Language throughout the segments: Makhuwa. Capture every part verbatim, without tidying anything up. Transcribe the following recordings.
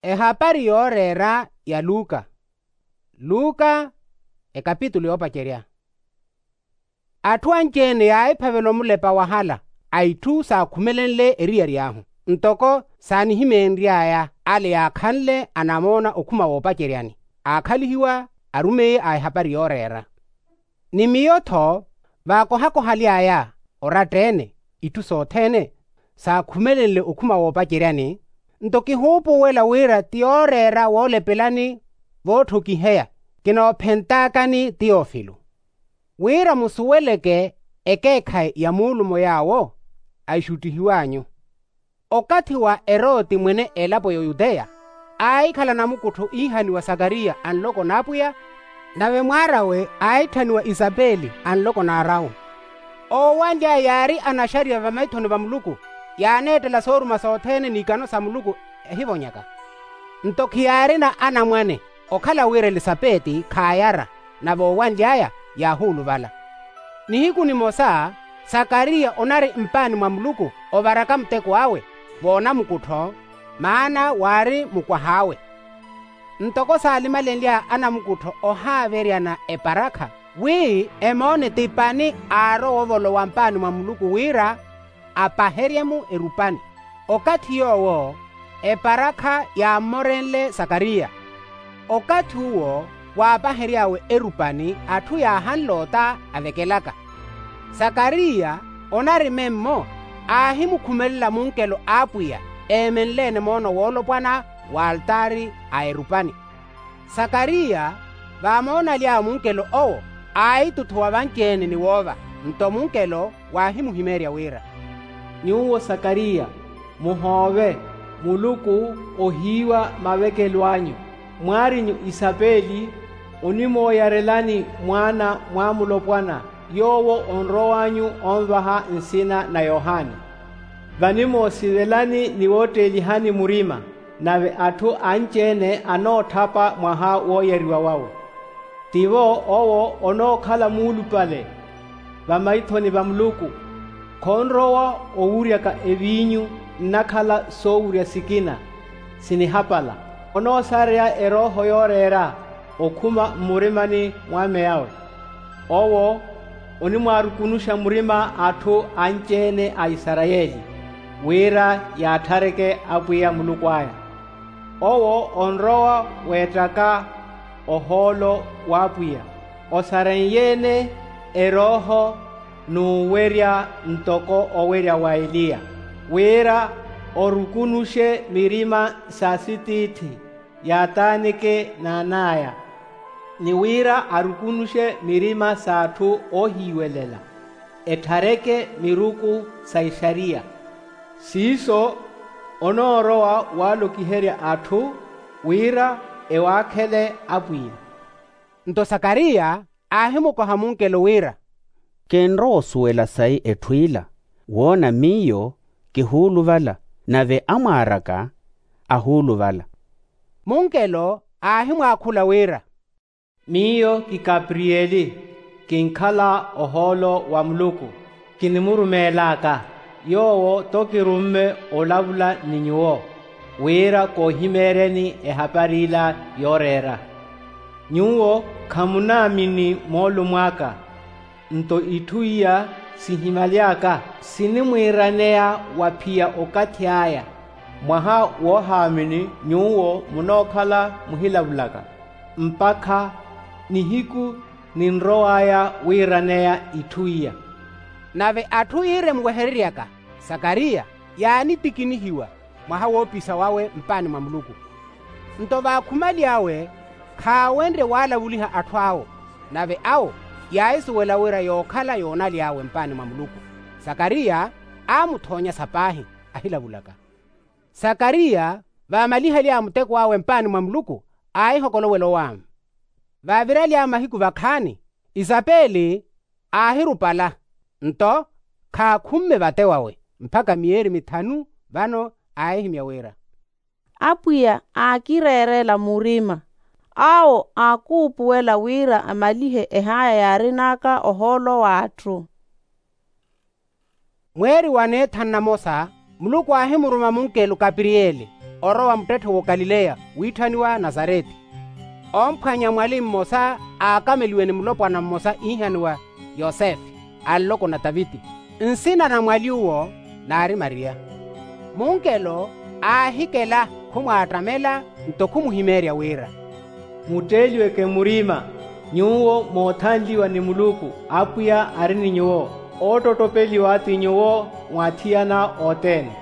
Ehapari yooreera ya luka. Luka, ekapitulu yoopacerya. Atthu anci-ene yaahiphavela omulepa wahala a itthu saakhumelenle eriyari ahu, ntoko saanihimeenry'aya ale yaakhanle anamoona okhuma woopaceryani, aakhalihiwa arumeiye a ehapari yooreera. Ni miyo-tho, vaakohakohaly'aya oratta-ene itthu sothene saakhumelenle okhuma woopaceryani, nto kihuupuwela wira ti yooreera woolepelani vootthokiheya. Kinoophentaakani tiyofilo wira musuweleke ekeekhayi ya muulumo yaawo axuttihiw'anyu. Okathi wa eroti mwene elapo y'oyuteya, aahikhala namukuttho iihaniwa sakariya anloko n'apwiya, nave mwaar'awe aahitthaniwa isapeli anloko n'arawu. Oowanly'aya yaari anaxariya vamaithoni va muluku, yaaneettela sooruma sothene n'ikano sa muluku ehivonyaka. Nto khiyaarina anamwane, okhala wira elisapeti khaayara, nave oowanly'aya yaahuuluvala. Nihiku nimosa, sakariya onari mpaani mwa muluku ovaraka muteko awe voonamukuttho, maana waari mukwah'awe. Ntoko saalima lenlya anamukuttho ohaaveryana eparakha, wi emoone ti pani aarowa ovolowa mpaani mwa muluku wira apaherye-mu erupani. Okathi yoowo eparakha yaammorenle sakariya. Okathi uwo waapahery'awe erupani atthu yaahanle ota avekelaka. Sakariya onari memmo, aahimukhumelela munkelo a apwiya eemenle-ene moono woolopwana w'altaari a erupani. Sakariya vaamoonaly'awe munkelo owo, aahituthuwa vanci-ene ni woova. Nto munkelo waahimuhimeerya wira, nyuwo sakariya, muhoove, muluku ohiiwa mavekelo anyu. Mwaar'inyu isapeli onimooyarelani mwaana mwa mulopwana, yoowo onrow'anyu onvaha nsina na yohani. Vanimoosivelani ni wootteelihani murima, nave atthu anci-ene anootthapa mwaha wooyariwa wawe. Tivo owo onookhala muulupale vamaithoni va muluku. Khonrowa owuryaka eviinyu, nnakhala soowurya sikina sinihapala. Onoosareya erooho yooreera okhuma mmurimani mwa ameyawe. Owo onimwaarukunuxa murima atthu anci-ene a isarayeli, wira yaatthareke apwiya muluku aya. Owo onrowa weettaka ohoolo w'apwiya, osarenye-ene erooho n'uwerya ntoko owerya wa eliya, wira orukunuxe mirima sa sitiithi yaataaneke n'an'aya, ni wira arukunuxe mirima s'atthu oohiiwelela, etthareke miruku sa ixariya. Siiso onoorowa waalokiherya atthu wira ewaakhele apwiya. Nto sakariya aahimukoha munkelo wira, kinrowa osuwela sayi etthu ila, woona miyo kihuuluvala, nave amwaar'aka ahuuluvala. Munkelo aahimwaakhula wira, miyo ki kapriyeli, kinkhala ohoolo wa muluku. Kinimurumeel'aka yoowo to kirumme olavula ni nyuwo, wira koohimeeryeni ehapari ila yooreera. Nyuwo khamunaamini moolumo aka, nto itthu iya sihimaly'aka sinimwiiraneya wa phiya okathi aya. Mwaha woohaamini nyuwo munookhala muhilavulaka, mpakha nihiku ninrow'aya wiiraneya itthu iya. Nave atthu iire muwehereryaka sakariya yaanitikinihiwa mwaha woopisa wawe mpaani mwa muluku. Nto vaakhumaly'awe khaawenrye waalavuliha atthu awo, nave awo yaahisuwela wira yookhala yoonaly'awe mpaani mwa muluku. Sakariya aamuthoonya sa paahi ahilavulaka. Sakariya vaamalihaly'awe muteko awe mpaani mwa muluku, aahihokolowela owaama. Vaaviraly'awe mahiku vakhaani, isapeli aahirupala, nto khaakhumme vate wawe mpakha miyeeri mithanu. Vano aahihimya wira, apwiya aakireerela murima, awo aakuupuwela wira amalihe ehaya yaarin'aka ohoolo w'atthu. Mweeri wa neethanu namosa, muluku aahimuruma munkelo kapiriyeli, orowa muttetthe w'okalileya witthaniwa nasareti. Omphwanya mwali mmosa aakameliwe ni mulopwana mmosa iihaniwa yosefe, a nloko na taviti. Nsina na mwali uwo naari mariya. Munkelo aahikela khumwaattamela, nto khumuhimeerya wira, mutteeliweke murima, nyuwo moothanliwa ni muluku. Apwiya ari ni nyuwo. Oottottopeliwa ti nyuwo mwathiyana othene.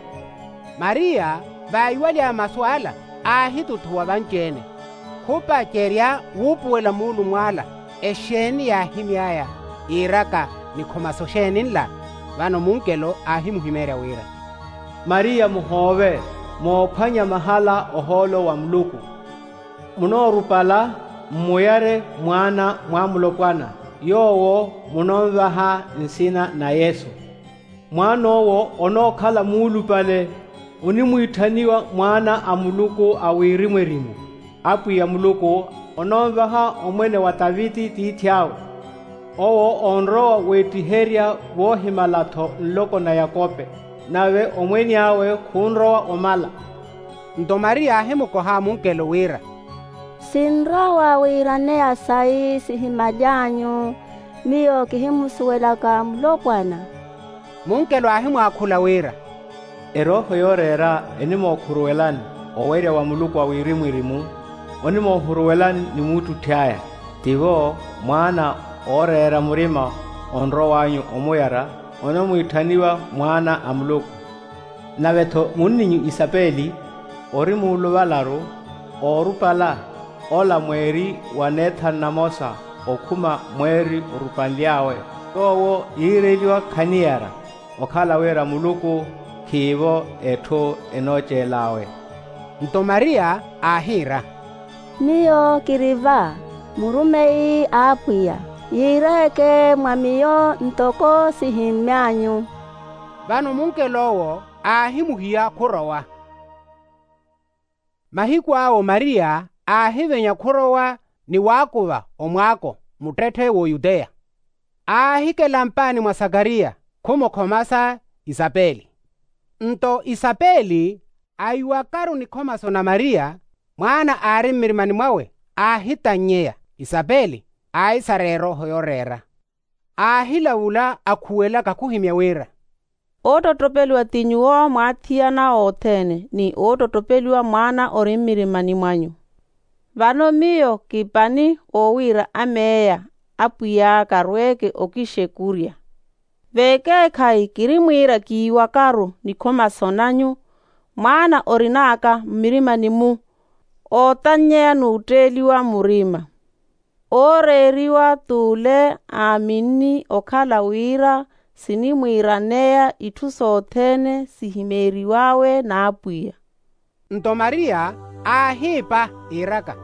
Mariya vaiwaly'aya masu ala aahitutthuwa vanci-ene, khupacerya wuupuwela muulumw'ala. Exeeni yaahimy'aya iiraka? Nikhomaso xeeni nla? Vano munkelo aahimuhimeerya wira, mariya muhoove, moophwanya mahala ohoolo wa muluku. Munoorupala mmuyare mwaana mwa mulopwana, yoowo munonvaha nsina na yesu. Mwaan'owo onookhala muulupale, onimwiitthaniwa mwaana a muluku a wirimu-erimu. Apwiya muluku ononvaha omwene wa taviti tiithi awe. Owo onrowa weettiherya woohimala-tho nloko na yakope, nave omwene awe khunrowa omala. Nto mariya aahimukoha munkelo wira, sinrowa wiiraneya sayi sihimaly'anyu. Miyo kihimusuwelaka mulopwana. Munkelo aahimwaakhula wira, erooho yooreera enimookhuruwelani owerya wa muluku a wirimu-erimu. Onimoohuruwelani ni muuttutthi aya. Tivo mwaana ooreera murima onrow'anyu omuyara, onimwiitthaniwa mwaana a muluku. Nave-tho munninyu isapeli ori muuluvalaru, oorupala ola mweeri wa neethanu namosa okhuma mweeri orupanly'awe, yoowo yiireeliwa khaniyara, okhala wira muluku khiivo etthu enooceel'awe. Nto mariya aahiira, miyo kiri va, murumeyi a apwiya, yiireyeke mwa miyo ntoko sihimmy'anyu. Vano munkel'owo aahimuhiya khurowa. Mahiku awo mariya aahivenya khurowa ni waakuva omwaako muttetthe w'oyuteya. Aahikela mpaani mwa sakariya, khumukhomasa isapeli. Nto isapeli aiwakaru nikhomaso na mariya, mwaana aari mmirimani mwawe aahitan'nyeya. Isapeli aahisara erooho yooreera, aahilavula akhuwelaka khuhimya wira, oottottopeliwa ti nyuwo mwaathiyana othene ni oottottopeliwa mwaana ori mmirimani mwanyu. Vano miyo kipani owiira ameeya apwiy'aka arweeke okixekurya. Veekeekhayi kirimwiira kiiwakaru nikhomaso nanyu, mwaana orin'aka mmirimani-mu ootan'nyeya n'utteeliwa murima. Ooreeriwa t'ule aaminni okhala wira sinimwiiraneya itthu sothene sihimeeriw'awe n'apwiya. Nto mariya aahiipa iiraka,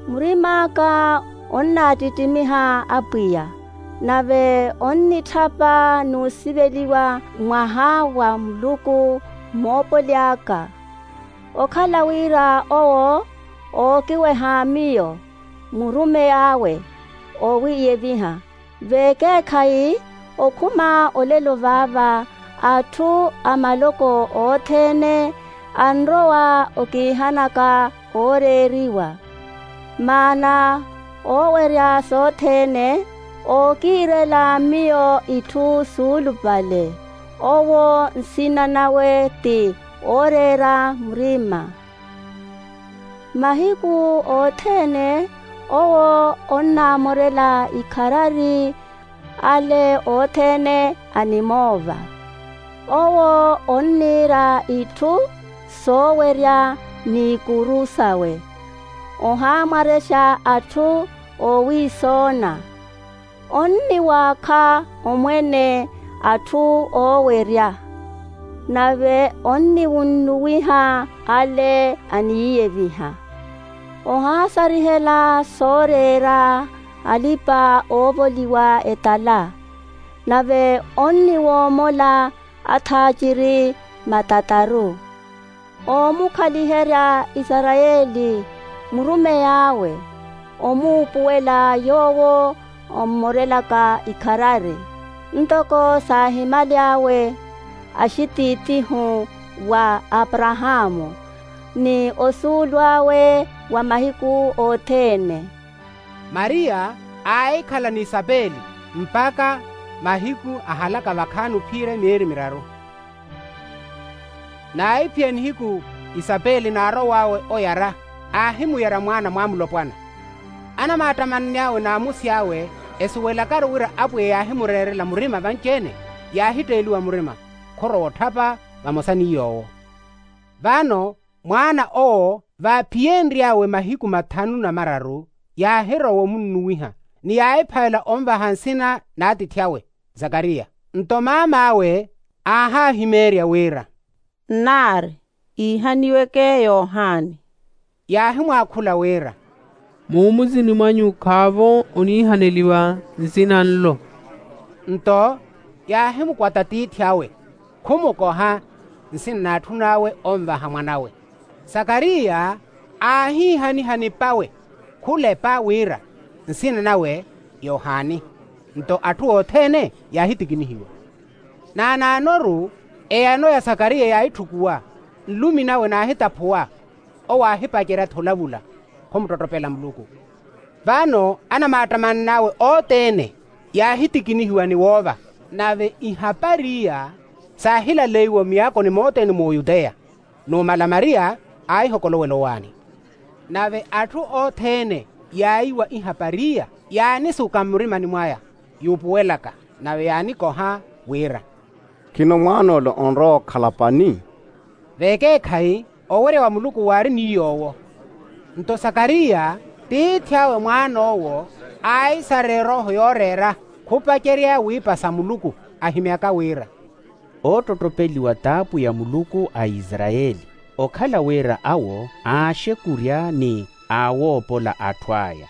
murim'aka onnaattittimiha apwiya, nave onnitthapa n'usiveliwa mwaha wa muluku moopoly'aka. Okhala wira owo ookiweha miyo murumey'awe oowiiyeviha. Veekeekhayi okhuma olelo vaava atthu a maloko othene anrowa okiihanaka ooreeriwa. Maana oowerya sothene ookiirela miyo itthu suulupale. Owo nsina nawe ti ooreera murima. Mahiku othene owo onnaamorela ikharari ale othene animoova. Owo onniira itthu soowerya n'ikuru sawe ohaamwarexa atthu oowiisoona. Onniwaakha omwene atthu oowerya, nave onniwunnuwiha ale aniiyeviha. Ohaasarihela sooreera alipa-oovoliwa etala, nave onniwoomola athaaciri matataru. Oomukhaliherya isarayeli murumey'awe, omuupuwela yoowo ommorelaka ikharari ntoko saahimaly'awe axitiitihu wa aparahaamu. ni osuulu awe wa mahiku othene. Mariya aahikhala ni isapeli mpakha mahiku ahalaka vakhaani ophiyerya myeeri miraru. Naahiphiya nihiku isapeli naarow'awe oyara, aahimuyara mwaana mwaamulopwana. Anamaattamanny'awe n'amusi awe esuwelakaru wira apwiya yaahimureerela murima vanci-ene, yaahitteeliwa murima, khorowa otthapa vamosa ni yoowo. Vano mwaana owo vaaphiyenry'awe mahiku mathanu na mararu, yaahirowa omunnuwiha ni yaahiphavela onvaha nsina n'atiithi awe zakariya. Nto maam'awe aahaahimeerya wira, nnaari, iihaniweke yohani. Yaahimwaakhula wira, muumuzini mwanyu khaavo oniihaneliwa nsina nlo. Nto yaahimukwata tiithi awe, khumukoha nsina n'atthun'awe onvaha mwan'awe. Sakariya aahiihaniha ni p'awe khulepa wira nsina nawe yohani. Nto atthu othene yaahitikinihiwa. Naanaanoru eyano ya sakariya yaahitthukuwa, nlumi nawe naahitaphuwa. Owo aahipacerya-tho olavula, khumuttottopela muluku. Vano anamaattamanna awe othene yaahitikinihiwa ni woova. Nave ihapari iya saahilaleiwa miyaakoni mothene m'uyuteya. Numala mariya aahihokolowela owaani. Nave atthu othene yaayiwa ihapari iya yaanisuka mmurimani mwaya, yuupuwelaka, nave yaanikoha wira, khino mwaan'ole onrowa okhala pani? Vekeekhayi owerya wa muluku waari ni yoowo. Nto sakariya tiithi awe mwaan'owo aahisarya erooho yooreera, khupacerya wiipasa muluku, ahimyaka wira, oottottopeliwa t'apwiya muluku a isarayeli, okhala wira awo aaxekurya ni aawoopola atthu aya.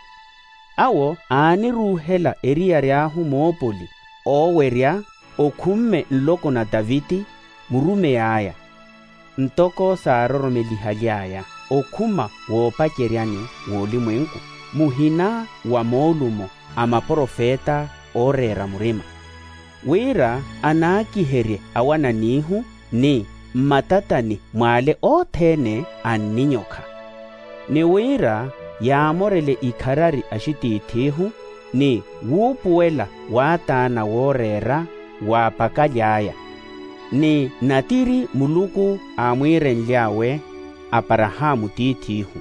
Awo aaniruuhela eriyari ahu moopoli oowerya okhumme nloko na taviti, murumeyi aya, ntoko saaroromelihaly'aya okhuma woopaceryani w'olimwenku, muhina wa moolumo a maprofeta ooreera murima, wira anaakiherye awananihu ni mmatatani mw'ale othene a nninyokha, ni wira yaamorele ikharari axitiith'ihu ni wuupuwela w'ataana wooreera w'apakaly'aya, ni natiri muluku aamwiirenly'awe aparahaamu tiith'ihu,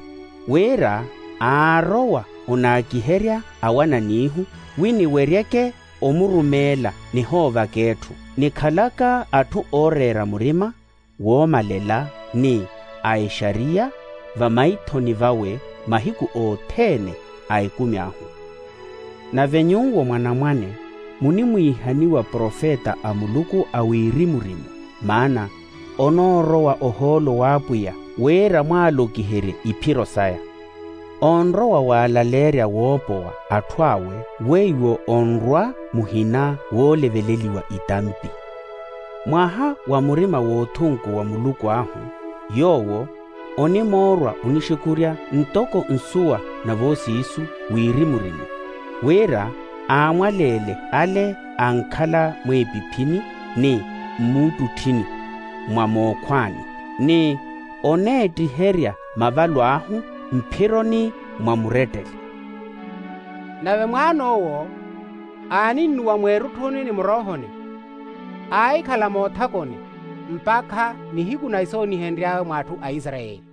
wira aarowa onaakiherya awananihu wi niweryeke omurumeela nihoovaka etthu nikhalaka atthu ooreera murima woomalela ni a exariya vamaithoni vawe mahiku othene a ekumi ahu. Nave nyuwo mwanamwane munimwiihaniwa profeta a muluku a wiirimurimu, maana onoorowa ohoolo w'apwiya wira mwaalokiherye iphiro saya. Onrowa waalaleerya woopowa atthu awe weiwo onrwa muhina wooleveleliwa itampi. Mwaha wa murima w'othunku wa muluku ahu yoowo onimoorwa onixekurya ntoko nsuwa na voosiisu wiirimurimu, wira aamwaleele ale ankhala mweepiphini ni mmuuttutthini mwa mookhwaani, ni oneettiherya mavalo ahu mphironi mwa murettele. Nave mwaan'owo aaninnuwa mweerutthuni ni muroohoni, aahikhala moothakoni mpakha nihiku na isoonihenry'awe mw'atthu a isarayeli.